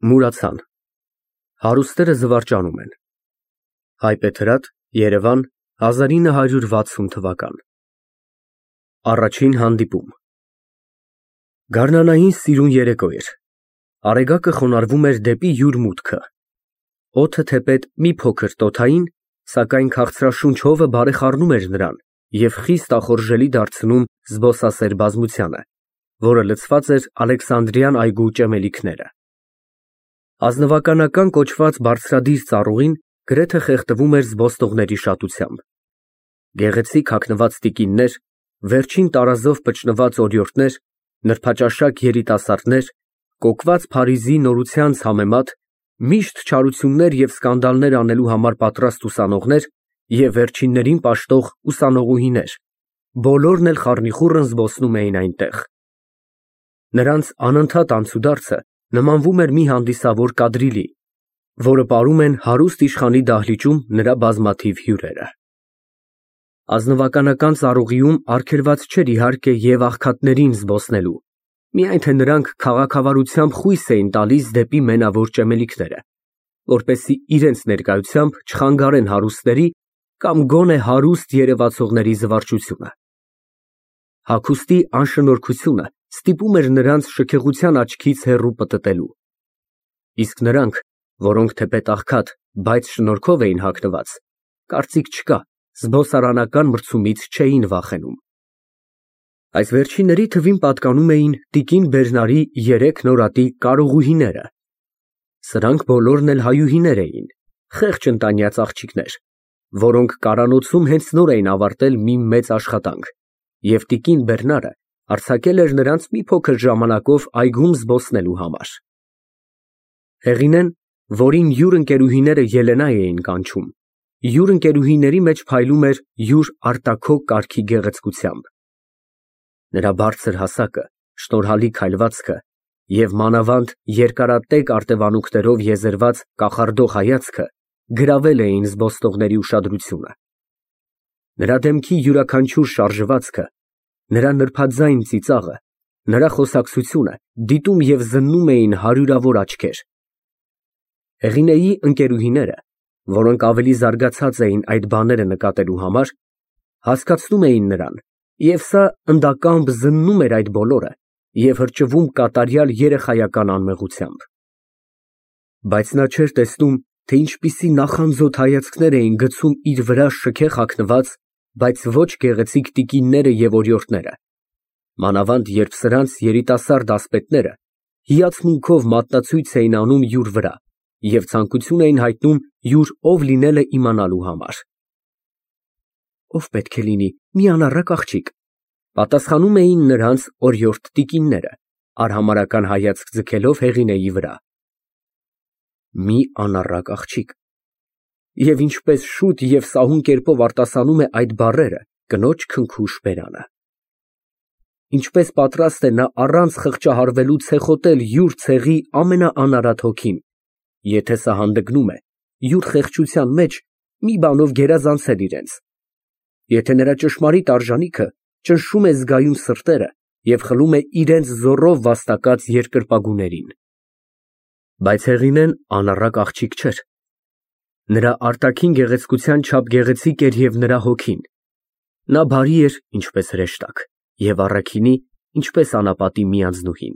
Մուրացան։ Հարուստները զվարճանում են։ Հայբեթրատ, Երևան, 1960 թվական։ Առաջին հանդիպում։ Գարնանային սիրուն երեկո էր։ Արեգակը խոնարհվում էր դեպի յուր մուտքը։ Օդը թեպետ մի փոքր տոթային, սակայն քաղցրաշունչ հովը բարեխառնում էր նրան և խիստ ախորժելի դարձնում զբոսասեր բազմությանը, որը լցված էր Ալեքսանդրյան այգու ճեմելիքները։ Ազնվականական կոչված բարձրադիր ծառուղին գրեթե խեղդվում էր զբոսնողների շատությամբ։ Գեղեցիկ հագնված տիկիններ, վերջին տարազով պճնված օրիորդներ, նրբաճաշակ երիտասարդներ, կոկված Փարիզի նորությանց համեմատ միշտ չարություններ և սկանդալներ անելու համար պատրաստ ուսանողներ և վերջիններին պաշտող ուսանողուհիներ, բոլորն էլ խառնիխուռն զբոսնում էին այնտեղ։ Նրանց անընդհատ անցուդարձը նմանվում էր մի հանդիսավոր կադրիլի, որը պարում են հարուստ իշխանի դահլիճում նրա բազմաթիվ հյուրերը։ Ազնվականական ծառուղիում արգելված չէր իհարկե և աղքատներին զբոսնելու, միայն թե նրանք քաղաքավարությամբ խույս էին տալիս դեպի մենավոր ճեմելիքները, որպեսզի իրենց ներկայությամբ չխանգարեն հարուստների կամ գոնե հարուստ երևացողների զվարճությունը։ Հագուստի անշնորհքությունը ստիպում էր նրանց շքեղության աչքից հեռու պտտելու։ Իսկ նրանք, որոնք թեպետ աղքատ, բայց շնորհքով էին հագնված, կարծիք չկա, զբոսարանական մրցումից չէին վախենում։ Այս վերջինների թվին պատկանում էին տիկին Բերնարի 3 նորատի կարողուհիները։ Սրանք բոլորն էլ հայուհիներ էին, խեղճ ընտանյաց աղջիկներ, որոնք կարանոցում հենց նոր էին ավարտել մի մեծ աշխատանք, և տիկին Բերնարը արձակել էր նրանց մի փոքր ժամանակով այգում զբոսնելու համար։ Հեղինեն, որին յուր ընկերուհիները Ելենա էին կանչում, յուր ընկերուհիների մեջ փայլում էր յուր արտաքոք կարգի գեղեցկությամբ։ Նրա բարձր հասակը, շնորհալի քայլվածքը և մանավանդ երկարատև արտևանքներով եզերված կախարդող հայացքը գրավել էին զբոսնողների ուշադրությունը։ Նրա դեմքի յուրաքանչյուր շարժվածքը, նրա նրբաձայն ծիծաղը, նրա խոսակցությունը դիտում և զննում էին հարյուրավոր աչքեր։ Հեղինեի ընկերուհիները, որոնք ավելի զարգացած էին այդ բաները նկատելու համար, հասկացնում էին նրան, և սա ընդակամբ զննում էր այդ բոլորը և հրճվում կատարյալ երեխայական անմեղությամբ։ Բայց նա չէր տեսնում, թե ինչպիսի նախանձոտ հայացքներ էին գցում իր վրա շքեղ հագնված, բայց ոչ գեղեցիկ տիկինները և օրիորդները, մանավանդ երբ սրանց երիտասարդ ասպետները հիացմունքով մատնացույց էին անում յուր վրա և ցանկություն էին հայտնում յուր ով լինելը իմանալու համար։ Ով պետք է լինի, մի անառակ աղջիկ, պատասխանում էին նրանց օրիորդ տիկինները, արհամարհական հայացք ձգելով հեղինեի վրա։ Մի անառակ աղջիկ։ Եվ ինչպես շուտ և սահուն կերպով արտասանում է այդ բառերը կնոջ քնքուշ բերանը։ Ինչպես պատրաստ է նա առանց խղճահարվելու ցեխոտել յուր ցեղի ամենաանարատ հոգին, եթե սա հանդգնում է յուր խեղճության մեջ մի բանով գերազանցել իրենց, եթե նրա ճշմարիտ արժանիքը ճնշում է զգայուն սրտերը և խլում է իրենց զոռով վաստակած երկրպագուներին։ Բայց հեղինեն անառակ աղջիկ չէր։ Նրա արտաքին գեղեցկության չափ գեղեցիկ էր և նրա հոգին։ Նա բարի էր, ինչպես հրեշտակ, և առաքինի, ինչպես անապատի մի անձնուհին։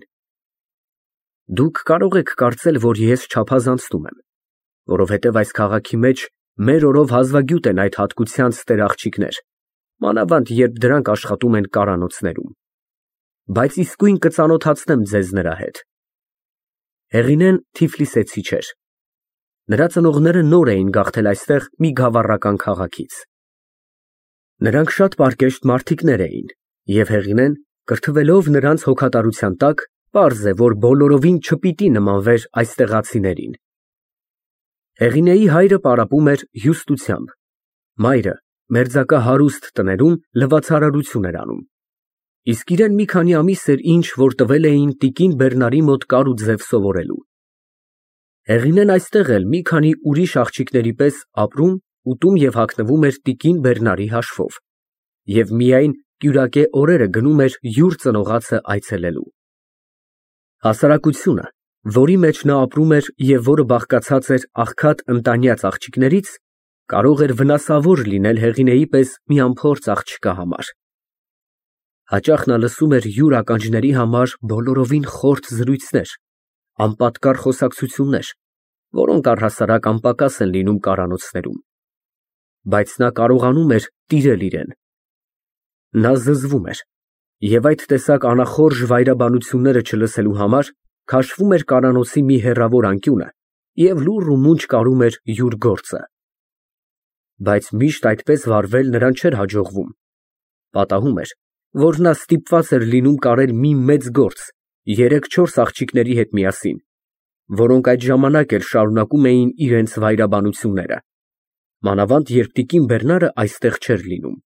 Դուք կարող եք կարծել, որ ես չափազանցնում եմ, որովհետև այս քաղաքի մեջ մեր օրով հազվագյուտ են այդ հատկությանց տեր-աղջիկներ, մանավանդ երբ դրանք աշխատում են կարանոցներում։ Բայց իսկույն կծանոթացնեմ ձեզ նրա հետ։ Հեղինեն թիֆլիսեցի չէր։ Նրա ծնողները նոր էին գաղթել այստեղ մի գավառական քաղաքից։ Նրանք շատ պարկեշտ մարդիկներ էին, և հեղինեն, կրթվելով նրանց հոգատարության տակ, պարզ է, որ բոլորովին չպիտի նմանվեր այստեղացիներին։ Հեղինեի հայրը պարապում էր հյուստությամբ, մայրը մերձակա հարուստ տներում լվացարարություն էր անում, իսկ իրեն մի քանի ամիս էր ինչ, որ տվել էին տիկին Բերնարի մոտ կար ու ձև սովորելու։ Հեղինեն այստեղ էլ մի քանի ուրիշ աղջիկների պես ապրում, ուտում և հագնվում էր տիկին Բերնարի հաշվով և միայն կյուրակե օրերը գնում էր յուր ծնողացը այցելելու։ Հասարակությունը, որի մեջ նա ապրում էր և որը բաղկացած էր աղքատ ընտանյաց աղջիկներից, կարող էր վնասավոր լինել Հեղինեի պես մի անփորձ աղջկա համար։ Հաճախ նա լսում էր յուր ականջների համար բոլորովին խորթ զրույցներ, անպատկառ խոսակցություններ, որոնք առհասարակ անպակաս են լինում կարանոցներում, բայց նա կարողանում էր տիրել իրեն։ Նա զզվում էր և այդ տեսակ անախորժ վայրաբանությունները չլսելու համար քաշվում էր կարանոցի մի հեռավոր անկյունը և լուռ ու մունջ կարում էր յուր գործը։ Բայց միշտ այդպես վարվել նրան չէր հաջողվում։ Պատահում էր, որ նա ստիպված էր լինում կարել մի մեծ գործ 3-4 աղջիկների հետ միասին, որոնք այդ ժամանակ էլ շարունակում էին իրենց վայրաբանությունները, մանավանդ երբ տիկին Բերնարը այստեղ չէր լինում։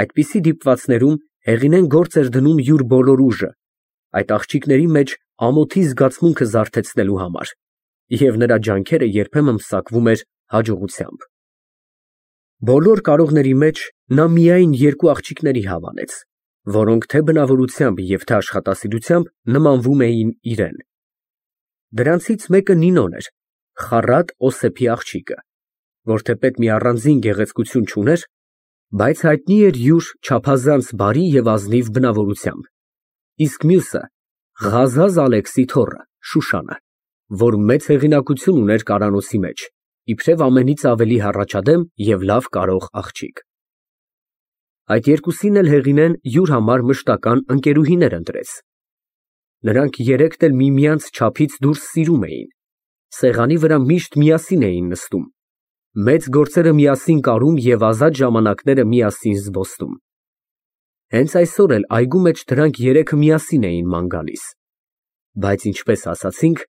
Այդպիսի դիպվածներում Հեղինեն գործ էր դնում յուր բոլոր ուժը, այդ աղջիկների մեջ ամոթի զգացմունքը զարթեցնելու համար, և նրա ջանքերը երբեմն պսակվում էր հաջողությամբ։ Բոլոր կարողների մեջ նա միայն 2 աղջիկների հավանեց, որոնք թե բնավորությամբ և թե աշխատասիրությամբ նմանվում էին իրեն։ Դրանցից մեկը Նինոն էր, խառատ Օսեփի աղջիկը, որ թեպետ մի առանձին գեղեցկություն չուներ, բայց հայտնի էր յուր չափազանց բարի և ազնիվ բնավորությամբ, իսկ մյուսը Ղազազ Ալեքսի թոռը Շուշանը, որ մեծ հեղինակություն ուներ կարանոցի մեջ, իբրև ամենից ավելի հառաջադեմ և լավ կարող աղջիկ։ Այդ երկուսին էլ Հեղինեն յուր համար մշտական ընկերուհիներ ընտրեց։ Նրանք երեքն էլ միմյանց չափից դուրս սիրում էին, սեղանի վրա միշտ միասին էին նստում, մեծ գործերը միասին կարում և ազատ ժամանակները միասին զբոսնում։ Հենց այսօր էլ այգու մեջ դրանք երեքը միասին էին ման գալիս, բայց ինչպես ասացինք,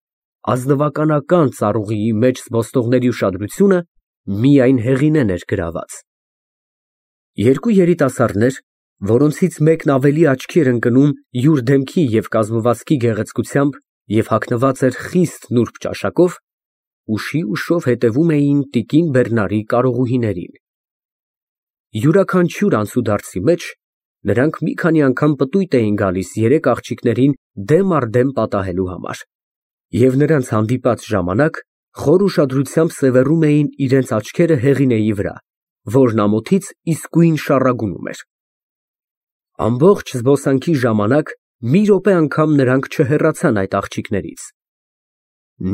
ազնվականական ծառուղիի մեջ զբոսնողների ուշադրությունը միայն Հեղինեն էր գրաված։ Երկու երիտասարդներ, որոնցից մեկն ավելի աչքի էր ընկնում յուր դեմքի և կազմվածքի գեղեցկությամբ և հագնված էր խիստ նուրբ ճաշակով, ուշի ուշով հետևում էին տիկին Բերնարի կարողուհիներին։ Յուրաքանչյուր անցուդարձի մեջ նրանք մի քանի անգամ պտույտ էին գալիս երեք աղջիկներին դեմ առ դեմ պատահելու համար, և նրանց հանդիպած ժամանակ խոր ուշադրությամբ սևեռում էին իրենց աչքերը Հեղինեի վրա, որն ամոթից իսկույն շառագունում էր։ Ամբողջ զբոսանքի ժամանակ մի րոպե անգամ նրանք չհեռացան այդ աղջիկներից։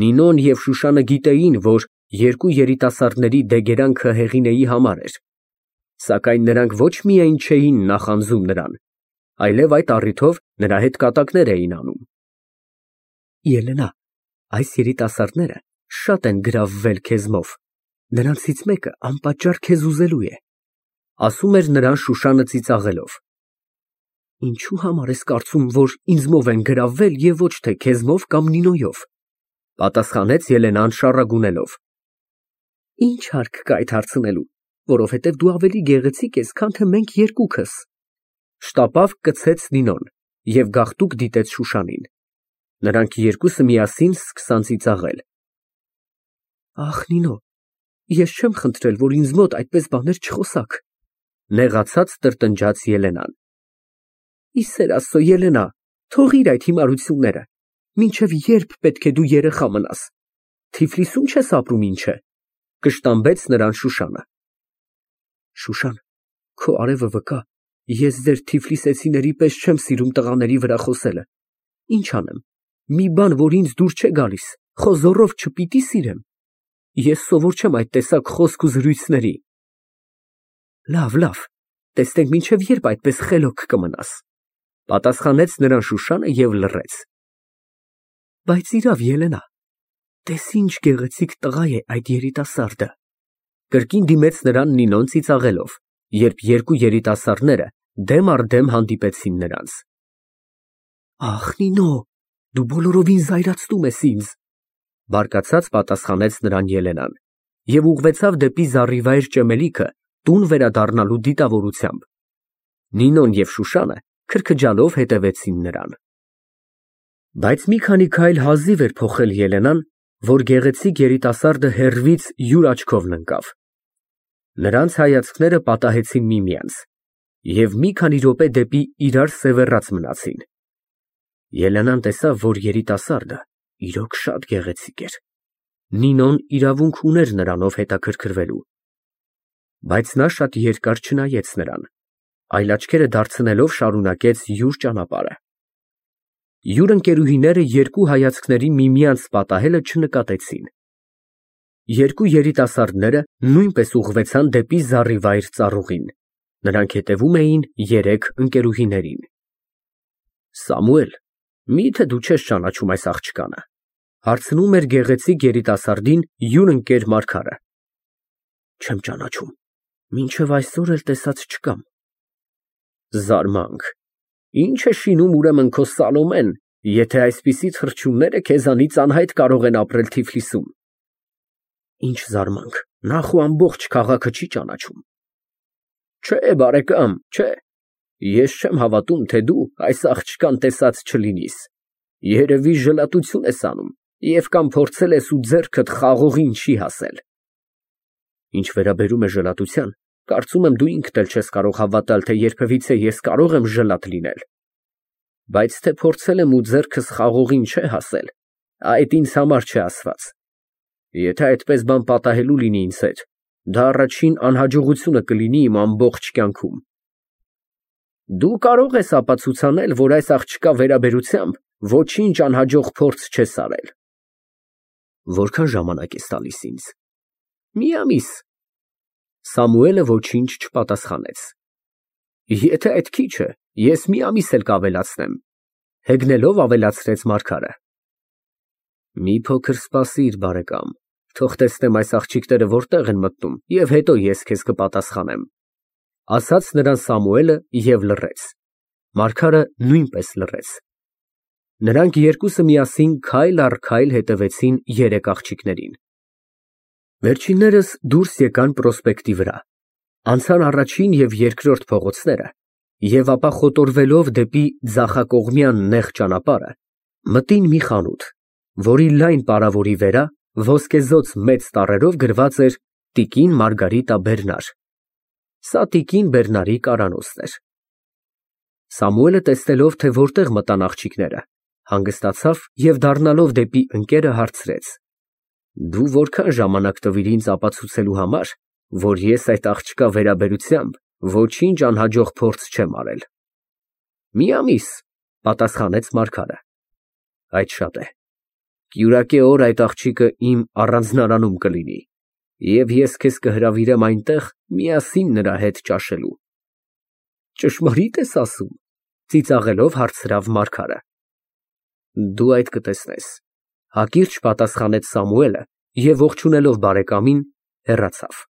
Նինոն և Շուշանը գիտեին, որ երկու երիտասարդների դեգերանքը Հեղինեի համար էր, սակայն նրանք ոչ միայն չէին նախանձում նրան, այլև այդ առիթով նրա հետ կատակներ էին անում։ Ելենա, այս երիտասարդները շատ են գրավվել քեզմով, նրանցից մեկը անպատճառ քեզ ուզելու է, ասում էր նրան Շուշանը ծիծաղելով։ Ինչու համար ես կարծում, որ ինձմով են գրավվել և ոչ թե քեզմով կամ Նինոյով, պատասխանեց Ելենան շառագունելով։ Ինչ հարկ կա այդ հարցնելու, որովհետև դու ավելի գեղեցիկ ես, քան թե մենք երկուքս, շտապավ կցեց Նինոն և գաղտուկ դիտեց Շուշանին։ Նրանք երկուսը միասին սկսան ծիծաղել։ Ախ, Նինո, ես չեմ խնդրել, որ ինձ մոտ այդպես բաներ չխոսաք, նեղացած տրտնջաց Ելենան։ Ի սեր Աստծո, Ելենա, թողիր այդ հիմարությունները, մինչև երբ պետք է դու երեխա մնաս, Թիֆլիսում չես ապրում ինչ է, կշտամբեց նրան Շուշանը։ Շուշան, քո արևը վկա, ես ձեր թիֆլիսեցիների պես չեմ սիրում տղաների վրա խոսելը, ինչ անեմ, մի բան, որ ինձ դուր չէ գալիս, խո զոռով չպիտի սիրեմ, ես սովոր չեմ այդ տեսակ խոսք ու զրույցների։ Լավ, տեսնենք մինչև երբ այդպես խելոք կմնաս, պատասխանեց նրան Շուշանը և լռեց։ Բայց իրավ, Ելենա, տես ինչ գեղեցիկ տղա է այդ երիտասարդը, կրկին դիմեց նրան Նինոն ծիծաղելով, երբ երկու երիտասարդները դեմ առ դեմ հանդիպեցին նրանց։ Ախ, Նինո, դու բոլորովին զայրացնում ես ինձ, բարկացած պատասխանեց նրան Ելենան և ուղղվեցավ դեպի զառիվայր ճեմելիքը տուն վերադառնալու դիտավորությամբ։ Նինոն և Շուշանը քրքջալով հետևեցին նրան։ Բայց մի քանի քայլ հազիվ էր փոխել Ելենան, որ գեղեցիկ երիտասարդը հեռվից յուր աչքով ընկավ։ Նրանց հայացքները պատահեցին միմյանց և մի քանի րոպե դեպի իրար սևեռած մնացին։ Ելենան տեսավ, որ երիտասարդը Իրոք շատ գեղեցիկ էր։ Նինոն իրավունք ուներ նրանով հետաքրքրվելու։ Բայց նա շատ երկար չնայեց նրան, այլ աչքերը դարձնելով շարունակեց յուր ճանապարհը։ Յուր ընկերուհիները երկու հայացքների միմյանց պատահելը չնկատեցին։ Երկու երիտասարդները նույնպես ուղղվեցան դեպի զառիվայր ծառուղին։ Նրանք հետևում էին երեք ընկերուհիներին։ Սամուել, մի՞թե դու չես ճանաչում այս աղջկանը, հարցնում էր գեղեցիկ երիտասարդին յուր ընկեր Մարգարը։ Չեմ ճանաչում, մինչև այսօր էլ տեսած չկամ։ Զարմանք, ինչ է շինում ուրեմն քո Սալոմեն, եթե այսպիսի թռչունները քեզանից անհայտ կարող են ապրել Թիֆլիսում։ Ինչ զարմանք, նախ ու ամբողջ քաղաքը չի ճանաչում։ Չէ, բարեկամ, չէ։ Ես չեմ հավատում, թե դու այս աղջկան տեսած չլինիս։ Երևի ժլատություն ես անում և կամ փորձել ես ու ձեռքդ խաղողին չի հասել։ Ինչ վերաբերում է ժլատության, կարծում եմ դու ինքդ էլ չես կարող հավատալ, թե երբևիցե ես կարող եմ ժլատ լինել։ Բայց թե փորձել եմ ու ձեռքս խաղողին չէ հասել, այդ ինձ համար չէ ասված։ Եթե այդպես բան պատահելու լինի ինձ հետ, դա առաջին անհաջողությունը կլինի իմ ամբողջ կյանքում։ Դու կարող ես ապացուցանել, որ այս աղջկա վերաբերությամբ ոչինչ անհաջող փորձ չես արել։ Որքան ժամանակ ես տալիս ինձ։ Մի ամիս։ Սամուելը ոչինչ չպատասխանեց։ Եթե այդ քիչ է, ես մի ամիս էլ կավելացնեմ, հեգնելով ավելացրեց Մարգարը։ Մի փոքր սպասիր, բարեկամ, թող տեսնեմ այս աղջիկները որտեղ են մտնում, և հետո ես քեզ կպատասխանեմ, ասաց նրան Սամուելը և լռեց։ Մարգարը նույնպես լռեց։ Նրանք երկուսը միասին քայլ առ քայլ հետևեցին երեք աղջիկներին։ Վերջիններս դուրս եկան Պրոսպեկտի վրա, անցան առաջին և երկրորդ փողոցները և ապա խոտորվելով դեպի ձախակողմյան նեղ ճանապարհը, մտին մի խանութ, որի լայն պարավորի վրա ոսկեզօծ մեծ տառերով գրված էր տիկին Մարգարիտա Բերնար։ Սա տիկին Բերնարի կարանոցն էր։ Սամուելը տեսնելով, թե որտեղ մտան աղջիկները, հանգստացավ և դառնալով դեպի ընկերը հարցրեց. Դու որքան ժամանակ տվիր ինձ ապացուցելու համար, որ ես այդ աղջկա վերաբերությամբ ոչինչ անհաջող փորձ չեմ արել։ Մի ամիս, պատասխանեց Մարգարը։ Այդ շատ է։ Կյուրակե օր այդ աղջիկը իմ առանձնարանում կլինի, և ես քեզ կհրավիրեմ այնտեղ միասին նրա հետ ճաշելու։ Ճշմարի՞տ ես ասում, ծիծաղելով հարցրավ Մարգարը։ Դու այդ կտեսնես, հակիրճ պատասխանեց Սամուելը և ողջունելով բարեկամին, հեռացավ։